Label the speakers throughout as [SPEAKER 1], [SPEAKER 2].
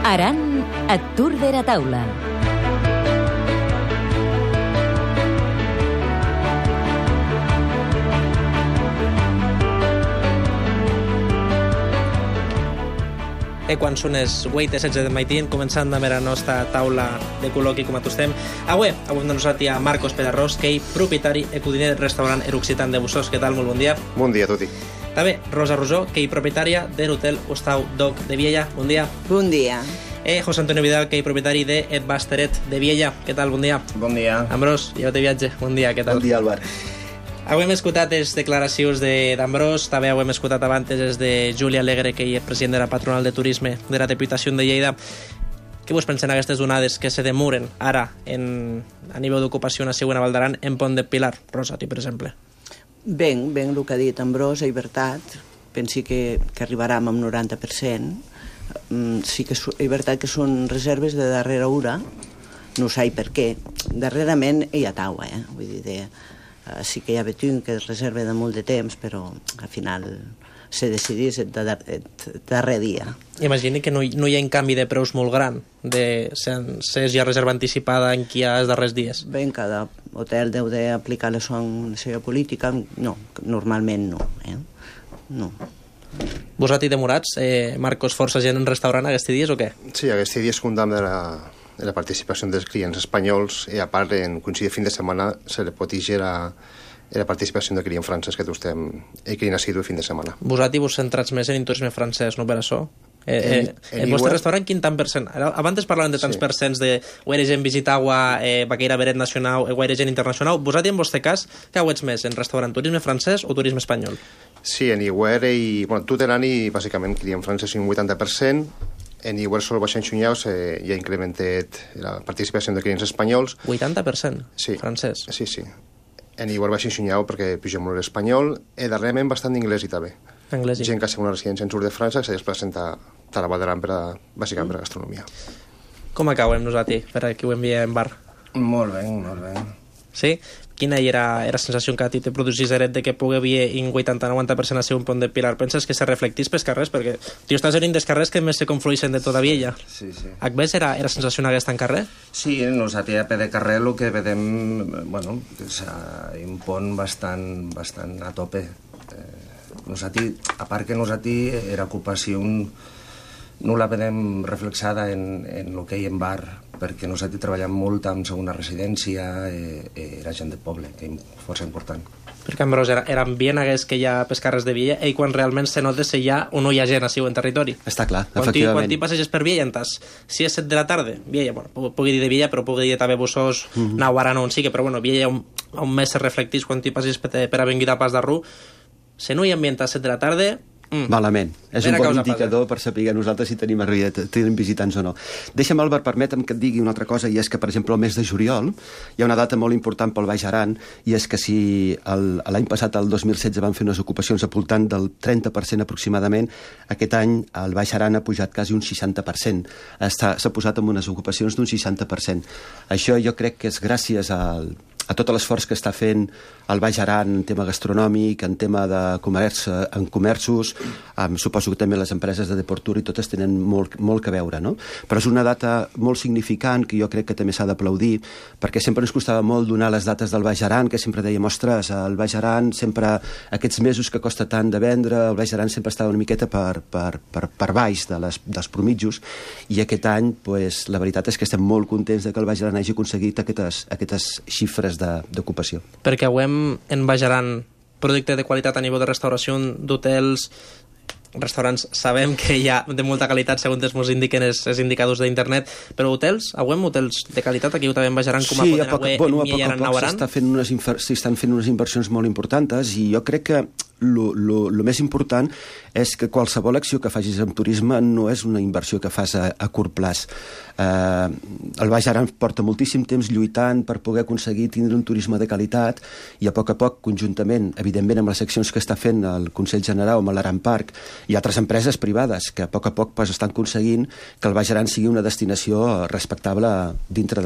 [SPEAKER 1] Aran et Tour de la Taula.
[SPEAKER 2] Quan són les 8:16 del matí, començant amb la nostra taula de col·loqui com a tostem. Avui amb nosaltres a Marcos Pelarrós, que és propietari i codiner del restaurant Eruccitant de Bussos. Què tal? Molt bon dia.
[SPEAKER 3] Bon dia a tutti.
[SPEAKER 2] També Rosa Rosó, que és propietària de l'hotel Hostau Doc de Viella. Bon dia.
[SPEAKER 4] Bon dia.
[SPEAKER 2] José Antonio Vidal, que és propietari de Et Basteret de Viella. Què tal? Bon dia.
[SPEAKER 5] Bon dia.
[SPEAKER 2] Ambrós, llevat de viatge. Bon dia, què tal?
[SPEAKER 3] Bon dia, Albert.
[SPEAKER 2] Avui hem escoltat les declaracions d'Ambrós, també hem escoltat abans les de Júlia Alegre, que és president de la Patronal de Turisme de la Diputació de Lleida. Què vos pensen aquestes onades que se demoren ara a nivell d'ocupació a Segona Val d'Aran en Pont de Pilar? Rosa, tu, per exemple.
[SPEAKER 4] Ben el que ha dit Ambrós, és veritat. Pensi que arribarem amb 90%. Sí que és veritat que són reserves de darrera hora, no sé per què. Darrerament hi ha taua, vull dir, sí que hi ha betún que es reserva de molt de temps, però al final se decidís el darrer dia.
[SPEAKER 2] Imagini que no hi ha un canvi de preus molt gran, si hi ha reserva anticipada en qui hi ha els darrers dies.
[SPEAKER 4] Ben, cada hotel deu d'aplicar la seva política. No, normalment no. No.
[SPEAKER 2] Vosaltres demorats, Marcos, força gent en restaurant aquests dies o què?
[SPEAKER 3] Sí, aquests dies comptem de la participació dels clients espanyols i a part en coincidir fin de setmana se li pot dir la participació de client francès que estem client assidu fin de setmana.
[SPEAKER 2] Vosaltres vos centrats més en turisme francès, no per això? El vostre restaurant quin tant percent? Abans parlaven de tants percents de guaire gent visitava Baqueira Beret Nacional, guaire gent internacional. Vosaltres en vostre cas, què heu ets més? En restaurant turisme francès o turisme espanyol?
[SPEAKER 3] Sí, en Iguer i tot l'any bàsicament client francès un 80%. En Iguer sol baixant xunyaus ja ha incrementat la participació de clients espanyols.
[SPEAKER 2] 80%?
[SPEAKER 3] Sí.
[SPEAKER 2] Francès?
[SPEAKER 3] Sí. En Iguer baixant xunyau perquè puja molt l'espanyol i darrerament bastant d'inglès i també.
[SPEAKER 2] Anglès.
[SPEAKER 3] Gent que ha una residència en sud de França que se desplacen a la Val d'Aran bàsicament per a gastronomia.
[SPEAKER 2] Com acabem nosaltres per aquí ho enviem en bar?
[SPEAKER 5] Molt bé.
[SPEAKER 2] Sí? Quina era la sensació que a ti te produís de que pugui haver un 80-90% a ser un Pont de Pilar? Penses que se reflectís pels carrers? Perquè tu estàs en un dels carrers que més se confluïssin de tota Viella.
[SPEAKER 5] Sí.
[SPEAKER 2] Acbés era sensació aquesta en carrer?
[SPEAKER 5] Sí, nosaltres a peu de carrer el que vedem, és un pont bastant a tope. Nosaltres, a part que nosaltres era ocupació no la vedem reflexada en el que hi ha en bar, perquè nosaltres treballem molt amb segona residència, era gent de poble, que és força important.
[SPEAKER 2] Perquè, Ambrós, era ambient que hi ha pels carrers de Viella i quan realment se nota si hi ha o no hi ha gent a en territori.
[SPEAKER 6] Està clar, efectivament.
[SPEAKER 2] Quan t'hi passeges per Viella, si és 7 de la tarda, Viella, pugui dir de Viella, però pugui dir també Bussos, Nahuaran on sigui, però Viella on més se reflectís quan t'hi passeges per Avinguida Pas d'Arrú, si no hi ha ambient a 7 de la tarda...
[SPEAKER 6] Malament. És un bon indicador per saber nosaltres si tenim visitants o no. Deixa'm, Albert, permetem que et digui una altra cosa, i és que, per exemple, el mes de juliol hi ha una data molt important pel Baix Aran, i és que si l'any passat, el 2016, van fer unes ocupacions al voltant del 30% aproximadament, aquest any el Baix Aran ha pujat quasi un 60%. S'ha posat amb unes ocupacions d'un 60%. Això jo crec que és gràcies a tot l'esforç que està fent el Baix Aran en tema gastronòmic, en tema de comerços, suposo que també les empreses de Deportur i totes tenen molt que veure, no? Però és una data molt significant que jo crec que també s'ha d'aplaudir, perquè sempre ens costava molt donar les dates del Baix Aran, que sempre dèiem, ostres, el Baix Aran sempre, aquests mesos que costa tant de vendre, el Baix Aran sempre estava una miqueta per baix dels promitjos, i aquest any, la veritat és que estem molt contents que el Baix Aran hagi aconseguit aquestes xifres d'ocupació.
[SPEAKER 2] Perquè en Baix Aran producte de qualitat a nivell de restauració, d'hotels, restaurants, sabem que hi ha de molta qualitat segons ens indiquen els indicadors d'internet, però hotels, hotels de qualitat aquí també en Baix Aran com a poden
[SPEAKER 6] a poc s'estan fent unes inversions molt importants, i jo crec que el més important és que qualsevol acció que facis en turisme no és una inversió que fas a curt plaç. El Baix Aran porta moltíssim temps lluitant per poder aconseguir tindre un turisme de qualitat, i a poc, conjuntament, evidentment amb les accions que està fent el Consell General, amb l'Aran Park i altres empreses privades, que a poc estan aconseguint que el Baix Aran sigui una destinació respectable dintre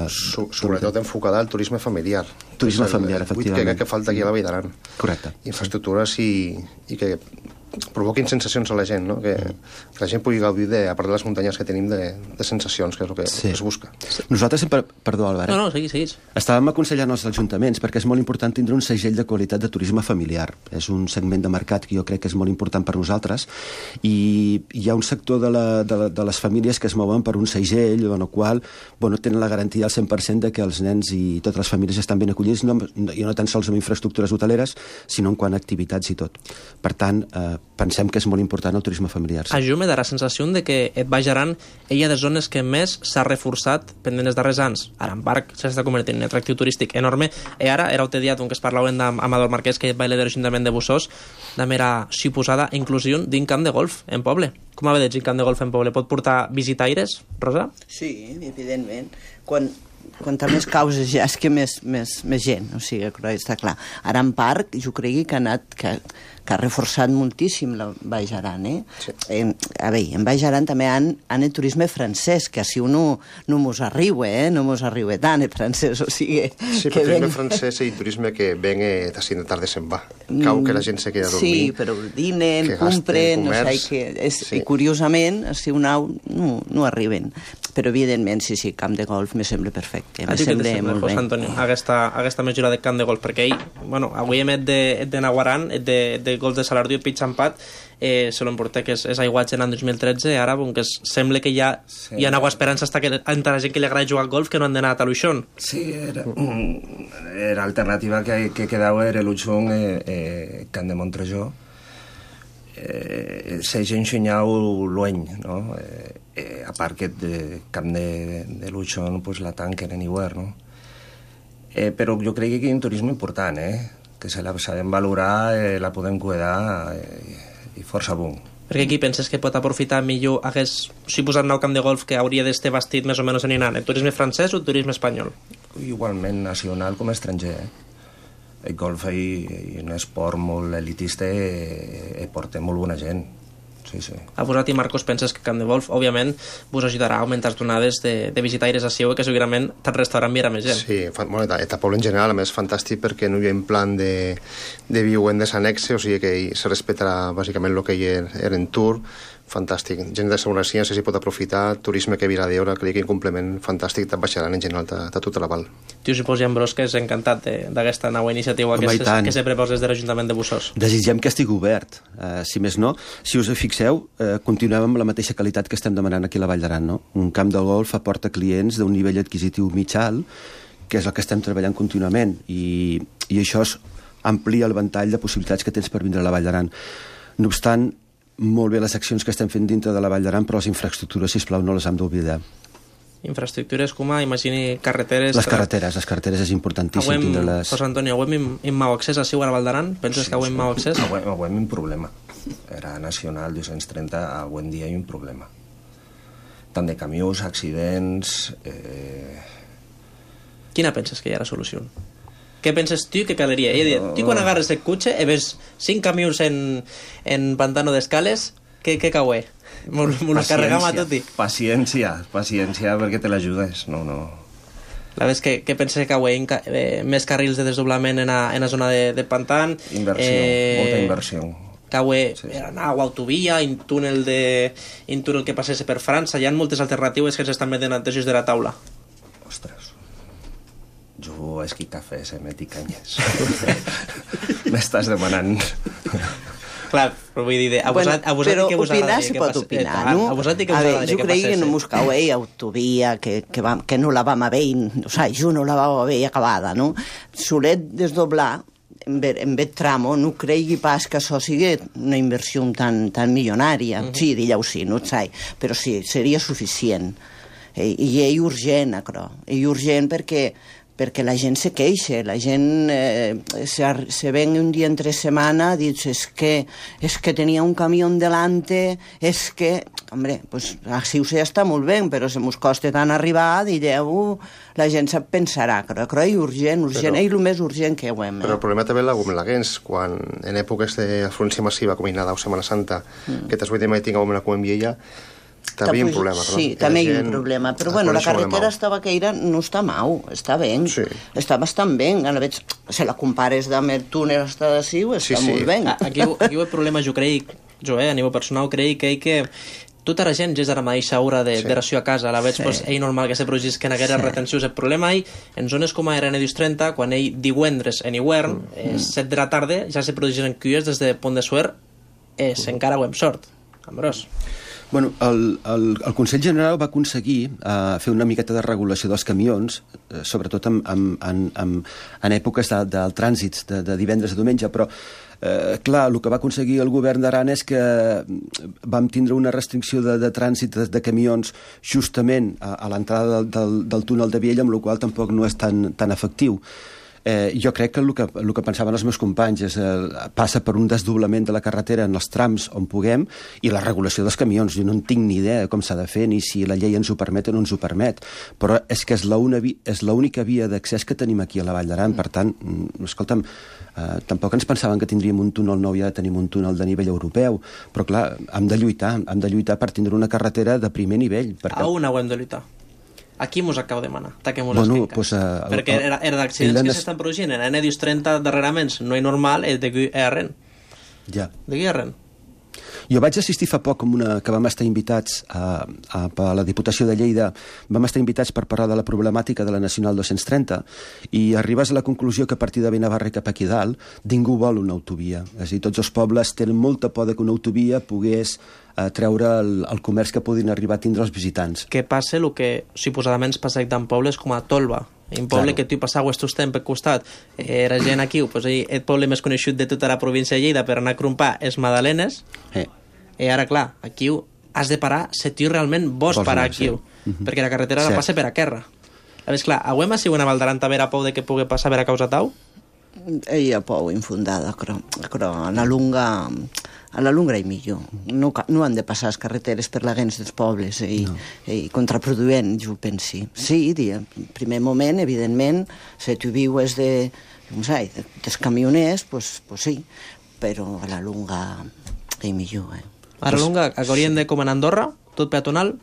[SPEAKER 3] sobretot enfocada al turisme familiar.
[SPEAKER 6] Turisme familiar, efectivament.
[SPEAKER 3] Que falta aquí a la Vall d'Aran.
[SPEAKER 6] Correcte.
[SPEAKER 3] Infraestructures i que provoquin sensacions a la gent, no? Que la gent pugui gaudir, a part de les muntanyes que tenim, de sensacions, que és el que es busca.
[SPEAKER 6] Nosaltres sempre... Perdó, Albert.
[SPEAKER 2] No, seguís.
[SPEAKER 6] Estàvem aconsellant als ajuntaments perquè és molt important tindre un segell de qualitat de turisme familiar. És un segment de mercat que jo crec que és molt important per nosaltres i hi ha un sector de les famílies que es mouen per un segell en el qual tenen la garantia al 100% de que els nens i totes les famílies estan ben acollits, i no tan sols amb infraestructures hoteleres, sinó en quant a activitats i tot. Per tant, pensem que és molt important el turisme familiar.
[SPEAKER 2] A jo me da la sensació de que et Baix Aran ella de zones que més s'ha reforçat pendent els darrers anys. Aran Park s'està convertint en un atractiu turístic enorme i ara era el diat on que es parlaven d'Amador Marquès, que baile de l'Ajuntament de Bussós, de mera suposada inclusió d'un camp de golf en poble. Com ha veig un camp de golf en poble? Pot portar visitaires, Rosa?
[SPEAKER 4] Sí, evidentment. Quanta més causes ja és que més gent, o sigui, està clar. Aran Park, jo crec que ha reforçat moltíssim el Baix Aran, Sí. A veure, en Baix Aran també han el turisme francès, que així no mos arriba, no mos arriba tant el francès, o sigui...
[SPEAKER 3] Sí, però turisme francès i turisme que ven d'ací de tarda se'n va. Cau que la gent se queda a dormir.
[SPEAKER 4] Sí, però dinen, compren, no sé, i curiosament, així un au, no arriben. Però, evidentment, sí, camp de golf me sembla perfecte.
[SPEAKER 2] A ti què te sembla, José Antonio, aquesta mesura de camp de golf? Perquè avui hem de Naguaran, de golf de Salardiu, Pitxampat, se l'emporta que és aiguatge en l'any 2013, ara que sembla que ja hi ha alguna esperança que entre la gent que li agrada jugar al golf que no han d'anar a Taluixón.
[SPEAKER 5] Sí, era alternativa que quedava era l'Uixón, Camp de Montrejó, se gent xunyau l'ueny, no? A part que el camp de l'Uixón la tanquen en hivern, no? Però jo crec que hi ha un turisme important, que se la sabem valorar, la podem cuidar i força bon.
[SPEAKER 2] Perquè aquí penses que pot aprofitar millor si posat nou camp de golf que hauria d'estar vestit més o menys en el turisme francès o el turisme espanyol?
[SPEAKER 5] Igualment nacional com estranger, El golf és un esport molt elitista i porta molt bona gent. Sí.
[SPEAKER 2] A vosaltres, Marcos, penses que Camp de Golf, òbviament, vos ajudarà a augmentar les donades de visitaires a Siu, que segurament el restaurant mira més gent.
[SPEAKER 3] Sí, el poble en general, a més, fantàstic perquè no hi ha un plan de viuendes anexe, o sigui que se respectarà bàsicament el que hi era en tour, fantàstic. Gent de segona ciència s'hi pot aprofitar, turisme que virà d'hora, crec que un complement fantàstic de Baixaran en general, de tot el Val.
[SPEAKER 2] Tu suposo, Jan Bros, que és encantat d'aquesta nova iniciativa que se proposa des de l'Ajuntament de Bussós.
[SPEAKER 6] Desitgem que estigui obert. Si més no, si us fixeu, continuem amb la mateixa qualitat que estem demanant aquí a la Vall d'Aran, no? Un camp de golf aporta clients d'un nivell adquisitiu mitjà, que és el que estem treballant contínuament, i això amplia el ventall de possibilitats que tens per vindre a la Vall d'Aran. No obstant, molt bé les accions que estem fent dintre de la Vall d'Aran, però les infraestructures, sisplau, no les hem d'oblidar.
[SPEAKER 2] Infraestructures com imagini carreteres...
[SPEAKER 6] Les carreteres és importantíssim tindre-les...
[SPEAKER 2] José Antonio, avui hem mau accés a Siu a la Vall d'Aran? Penses que avui hem mau accés?
[SPEAKER 5] Avui hem un problema. Era nacional 230, avui en dia hi ha un problema. Tant de camions, accidents...
[SPEAKER 2] Quina penses que hi ha la solució? Què penses tu que calaria? Tu quan agarres el cotxe i ves 5 camions en pantano d'escales, què caué? M'ho carregam a tot i...
[SPEAKER 5] Paciència, perquè te l'ajudes, no.
[SPEAKER 2] La vez que penses que caué més carrils de desdoblament en la zona de pantan...
[SPEAKER 5] Inversió, molta inversió.
[SPEAKER 2] Caué anar a autovia, un túnel que passés per França, hi ha moltes alternatives que s'estan metent antes de la taula.
[SPEAKER 5] Ostres, jo esqui cafè, meti canyes. M'estàs demanant...
[SPEAKER 2] Clar, però vull dir, a vosaltres que vos agradaria que passés?
[SPEAKER 4] Opinar, no?
[SPEAKER 2] A vosaltres que vos agradaria que passés?
[SPEAKER 4] Jo crec que no mos cau autovia, que no la vam haver, o sigui, jo no la vam haver acabada, no? Solet desdoblar, en aquest tramo, no cregui pas que això sigui una inversió tan milionària. Sí, digueu sí, no sé, però sí, seria suficient. I és urgent, això. És urgent perquè la gent se queixa, la gent se ven un dia entre setmana, dius, es que tenia un camió delante, es que... Hombre, pues així ja està molt bé, però se mos costa tant arribar, direu, la gent se'n pensarà, però és urgent, és el més urgent que ho hem.
[SPEAKER 3] Però el problema també l'ha com l'Aguens, quan en èpoques d'afluència massiva, com Nadal o Setmana Santa, que t'has vuit mai tinc com una Coenviella, també hi ha un problema, no?
[SPEAKER 4] Sí, també hi ha un problema. Però bueno, la carretera estava que era, no està mau, està bé. Està bastant bé. Si la compares amb el túnel hasta de Siu, està molt bé.
[SPEAKER 2] Aquí el problema, jo crec, jo, a nivell personal, crec que tota la gent ja és ara mateix segura de ració a casa, a la veig, és normal que se produsisquen aquestes retencions. El problema en zones com ara en Edius 30, quan divendres en hivern, 7 de la tarda, ja se produeixen cuies des de Pont de Suert, encara ho hem sort, Ambrós.
[SPEAKER 6] Bueno, el Consell General va aconseguir fer una miqueta de regulació dels camions, sobretot en èpoques del trànsit de divendres a diumenge, però clar, el que va aconseguir el govern d'Aran és que vam tindre una restricció de trànsit de camions justament a l'entrada del túnel de Viella, amb la qual tampoc no és tan efectiu. Jo crec que el que pensaven els meus companys passa per un desdoblament de la carretera en els trams on puguem i la regulació dels camions. Jo no en tinc ni idea de com s'ha de fer ni si la llei ens ho permet o no ens ho permet, però és que és l'única via d'accés que tenim aquí a la Vall d'Aran. Per tant, escolta'm, tampoc ens pensaven que tindríem un túnel nou, ja tenim un túnel de nivell europeu, però clar, hem de lluitar per tindre una carretera de primer nivell.
[SPEAKER 2] A on hem de lluitar? Aquí mos acabo de demanar, taquem-nos les finques. Perquè era d'accidents que s'estan produint en Edius 30 darrerament, no és normal, és de Guiarren.
[SPEAKER 6] Ja.
[SPEAKER 2] De Guiarren.
[SPEAKER 6] Jo vaig assistir fa poc que vam estar invitats per la Diputació de Lleida, vam estar invitats per parlar de la problemàtica de la Nacional 230 i arribes a la conclusió que a partir de Benavarri cap aquí dalt ningú vol una autovia. És a dir, tots els pobles tenen molta por que una autovia pogués treure el comerç que podin arribar a tindre els visitants.
[SPEAKER 2] Què passa el que suposadament es passa en pobles com a Tolba, un poble que tu passaves tu temps per costat. Era gent aquí, el poble més coneixut de tota la província de Lleida per anar a crompar és Madalenes, i ara clar, aquí has de parar si tu realment vols parar aquí, perquè la carretera la passa per a Querra. A més, clar, avui m'ha sigut una Val d'Aran també a por de que pugui passar per a causa tau?
[SPEAKER 4] Hi ha por infundada, però a la lunga és millor. No han de passar les carreteres per la gens dels pobles i contraproduent, jo penso. Sí, en primer moment, evidentment, si tu vius dels camioners, pues sí, però a la lunga és millor.
[SPEAKER 2] A la lunga, haurien de com en Andorra, tot peatonal,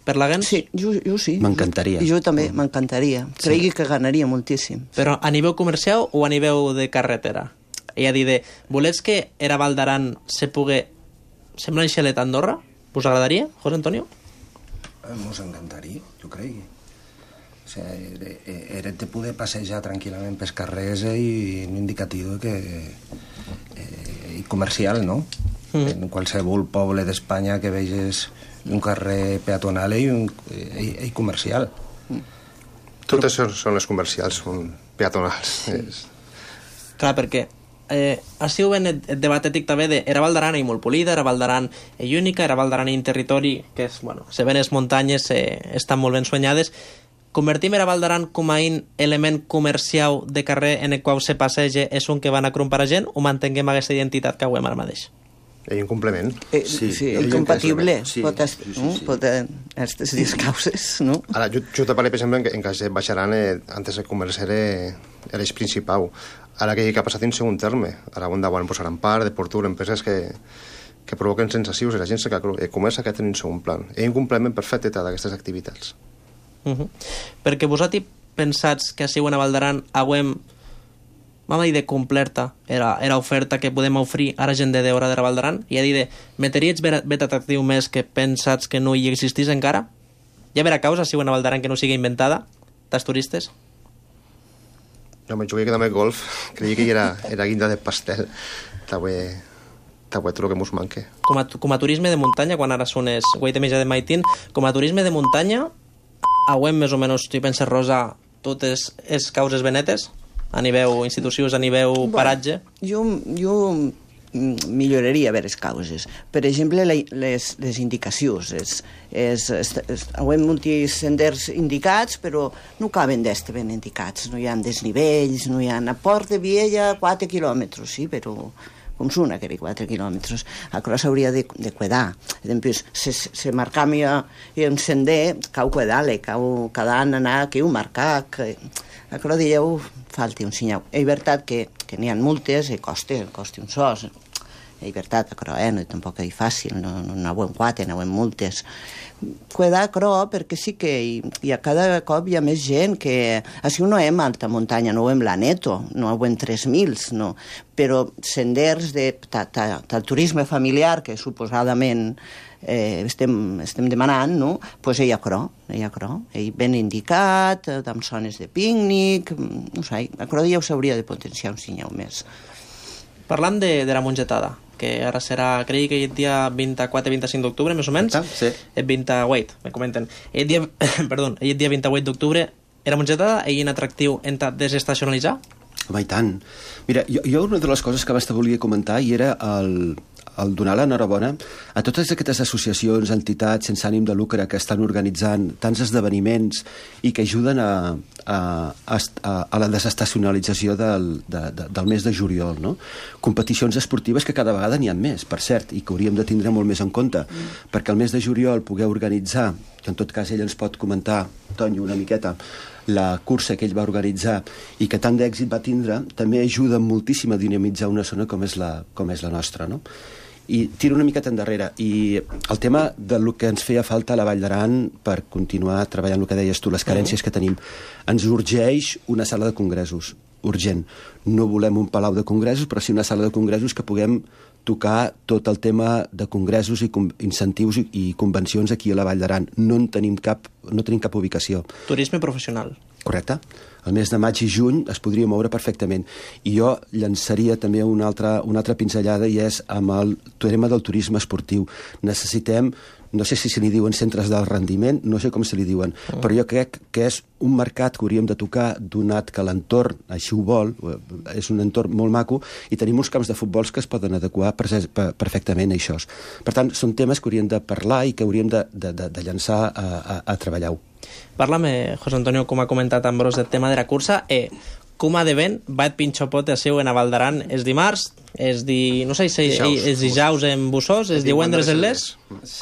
[SPEAKER 2] per la gens?
[SPEAKER 4] Sí, jo sí.
[SPEAKER 6] M'encantaria.
[SPEAKER 4] Jo també, m'encantaria. Cregui que ganaria moltíssim.
[SPEAKER 2] Però a nivell comercial o a nivell de carretera? I a dir, volets que era Val d'Aran se pugui semblar un xalet a Andorra? Us agradaria, José Antonio?
[SPEAKER 5] Mos encantaria, jo crec. O sigui, era de poder passejar tranquil·lament pels carrers i un indicatiu comercial, no? En qualsevol poble d'Espanya que veges un carrer peatonal i comercial.
[SPEAKER 3] Totes són les comercials, són peatonals.
[SPEAKER 2] Clar, perquè ha sigut ben el debat ètic també de era Val d'Aran i molt polida, era Val d'Aran i única, era Val d'Aran i un territori que és, bueno, se ven les muntanyes, estan molt ben soñades. Convertim era Val d'Aran com a un element comercial de carrer en el qual se passeja és un que van a crompar a gent o mantenguem aquesta identitat que avui ara mateix?
[SPEAKER 3] Hi ha un complement.
[SPEAKER 4] Sí, incompatible. Pot aquestes dues causes, no?
[SPEAKER 3] Ara, jo te parlo, per exemple, en cas de Baixaran, antes el comerç era l'eix principal. Ara que ha passat en segon terme. Ara on davant posaran part, de Portur, empreses que provoquen sensacions i la gent que comença a tenir un segon plan. Hi ha un complement perfecte d'aquestes activitats.
[SPEAKER 2] Perquè vosaltres pensats que a Val d'Aran avui vam dir de completa era oferta que podem oferir a la gent de Deora de la Val d'Aran i a dir de meteries bet atractiu més que pensats que no hi existís encara? Hi ha vera causa si una Val d'Aran que no sigui inventada dels turistes?
[SPEAKER 3] No, jo vaig quedar amb el golf, creia que era guinda de pastel. T'avui tot el que mos manque.
[SPEAKER 2] Com a turisme de muntanya, quan ara són els Guaitemesa de Maitín, com a turisme de muntanya, avui més o menys, tu penses, Rosa, totes les causes benetes? A nivell institucions, a nivell paratge?
[SPEAKER 4] Jo milloraria les causes. Per exemple, les indicacions. Hi ha molts senders indicats, però no caben d'estar ben indicats. No hi ha desnivells, no hi ha... A Port de Viella, 4 quilòmetres, sí, però com són aquells 4 quilòmetres? Això s'hauria de cuidar. Se marcam un sender, cau cuidar-le, cau cada any anar aquí un marcar... Això dieu, falta un senyal. És veritat que n'hi ha multes i costa un sos. és veritat, però no, tampoc és fàcil, no aneu 4, aneu multes. Cuidar, però, perquè sí que hi ha cada cop hi ha més gent que... Així no hem alta muntanya, no hem l'Aneto, no hem 3.000, no. Però senders del turisme familiar, que suposadament estem demanant, no? Pues ell ha cro. Ell ben indicat, amb zones de pícnic, no sé, a cro ja ho s'hauria de potenciar un cinyau més.
[SPEAKER 2] Parlant de la mongetada, que ara serà, crec que el dia 24-25 d'octubre, més o menys.
[SPEAKER 6] Sí.
[SPEAKER 2] El 28, me comenten. El dia 28 d'octubre, era mongetada i un atractiu en desestacionalitzar?
[SPEAKER 6] Home, i tant. Mira, jo una de les coses que abans te volia comentar i era el donar l'enhorabona a totes aquestes associacions, entitats sense ànim de lucre que estan organitzant tants esdeveniments i que ajuden a la desestacionalització del mes de juliol, no? Competicions esportives que cada vegada n'hi ha més, per cert, i que hauríem de tindre molt més en compte, perquè el mes de juliol poder organitzar, que en tot cas ell ens pot comentar, Tonyo, una miqueta, la cursa que ell va organitzar i que tant d'èxit va tindre, també ajuda moltíssim a dinamitzar una zona com és la nostra, no? I tiro una miqueta endarrere. I el tema del que ens feia falta a la Vall d'Aran per continuar treballant el que deies tu, les carències que tenim. Ens urgeix una sala de congressos, urgent. No volem un palau de congressos, però sí una sala de congressos que puguem tocar tot el tema de congressos i incentius i convencions aquí a la Vall d'Aran. No tenim cap ubicació.
[SPEAKER 2] Turisme professional.
[SPEAKER 6] Correcte. El mes de maig i juny es podria moure perfectament. I jo llançaria també una altra pinzellada i és amb el tema del turisme esportiu. Necessitem, no sé si se li diuen centres d'alt rendiment, no sé com se li diuen, però jo crec que és un mercat que hauríem de tocar, donat que l'entorn així ho vol, és un entorn molt maco, i tenim uns camps de futbols que es poden adequar perfectament a això. Per tant, són temes que hauríem de parlar i que hauríem de llançar a treballar-ho.
[SPEAKER 2] Parla'm, José Antonio, com ha comentat Ambrós, del tema de la cursa, com ha de ben va et pinxopote seu en a Val d'Aran és dimarts, és no sé si és dijous en Bussós, és divendres en les.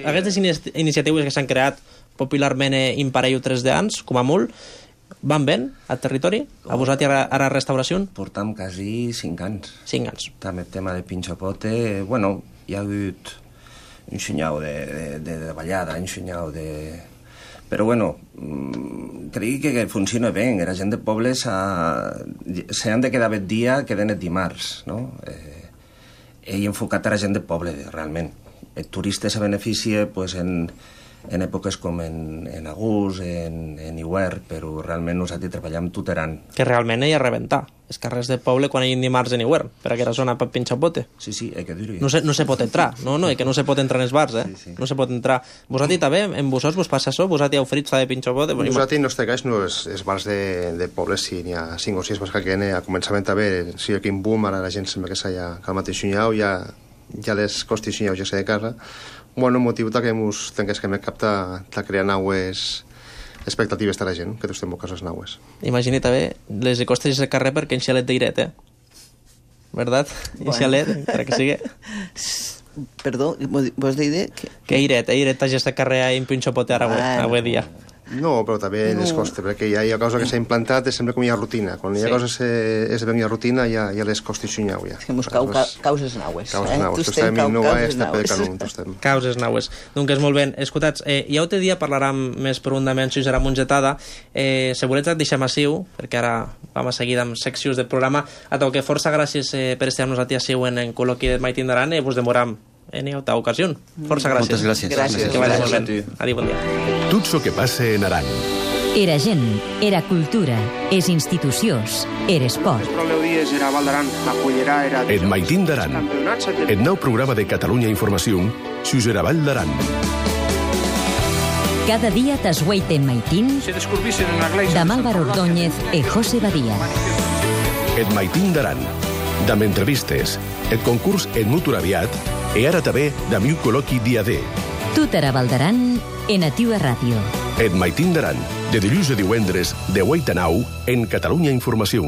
[SPEAKER 2] Aquestes iniciatives que s'han creat popularment in parello 3 d'anys, com a molt, van ben al territori? A vosaltres a la restauració?
[SPEAKER 5] Portam quasi 5 anys.
[SPEAKER 2] 5 anys.
[SPEAKER 5] També el tema de pinxopote, bueno, hi ha hagut un xinyau de ballada, un xinyau de... Però, bueno, crec que funciona bé. La gent de poble s'han de quedar bet dia, queden el dimarts, no? He enfocat a la gent de poble, realment. El turista se beneficia pues, en èpoques com en agost, en hivern, però realment nosaltres treballem tot l'any.
[SPEAKER 2] Que realment hi ha a rebentar. Els carrers de poble quan hi ha dimarts en hivern, per aquella zona per pinxapote.
[SPEAKER 5] Sí, hay que dir-ho.
[SPEAKER 2] No se pot entrar, no, que no se pot entrar en els bars, Sí. No se pot entrar. Vosaltres també, en Bussós, vos passa això? Vosaltres heu oferit de pinxapote?
[SPEAKER 3] Nosaltres, en nostre cas, no, els bars de poble, sí, n'hi ha 5 o 6 bars que queden a començament també, sí, aquí en boom, ara la gent sembla que s'ha que al mateix xunyau, ja les costis xunyau ja s'ha de casa. Bueno, el motiu que ens tingués que captar de crear naues expectatives de la gent, que tots tenim coses naues.
[SPEAKER 2] Imagina't bé, les costes de carrer perquè en xalet d'Iret, ¿verdad? En xalet, per que sigui.
[SPEAKER 4] Perdó, vos deia
[SPEAKER 2] que Iret t'hagi de carrer en pinxopote avui dia.
[SPEAKER 3] No, però també les costes, perquè hi ha cosa que s'ha implantat, sempre com hi ha rutina. Quan hi ha coses que hi ha rutina, hi ha les costes xunyau, ja.
[SPEAKER 4] Que mos causes naues.
[SPEAKER 3] Causes naues. Tu estem en Nova, estem per Canun.
[SPEAKER 2] Causes naues. Donc és molt ben. Escoltats, ja un dia parlarem més profundament si serà mongetada. Si voleu et deixem assiu, perquè ara vam a seguir amb seccions del programa. A tot que força gràcies per estar amb nosaltres assiu en col·loqui del Maitín d'Aran i vos demorem en altra ocasió. Força gràcies.
[SPEAKER 6] Moltes gràcies.
[SPEAKER 2] Que vagi molt ben. Adéu, bon dia.
[SPEAKER 7] Tot el que passa en Aran.
[SPEAKER 1] Era gent, era cultura, és institucions, era esport.
[SPEAKER 7] El Maitín d'Aran. El nou programa de Catalunya Informació, sus era Vall d'Aran.
[SPEAKER 1] Cada dia t'esgueiten Maitín, de Álvaro Ordóñez i José Badía.
[SPEAKER 7] El Maitín d'Aran. D'am entrevistes, el concurs en mutur aviat i ara també d'am un col·loqui dia D.
[SPEAKER 1] Tot era Vall d'Aran en Ativa Ràdio.
[SPEAKER 7] El Maitín d'Aran, de dilluns a divendres, de 8 a 9, en Catalunya Informació.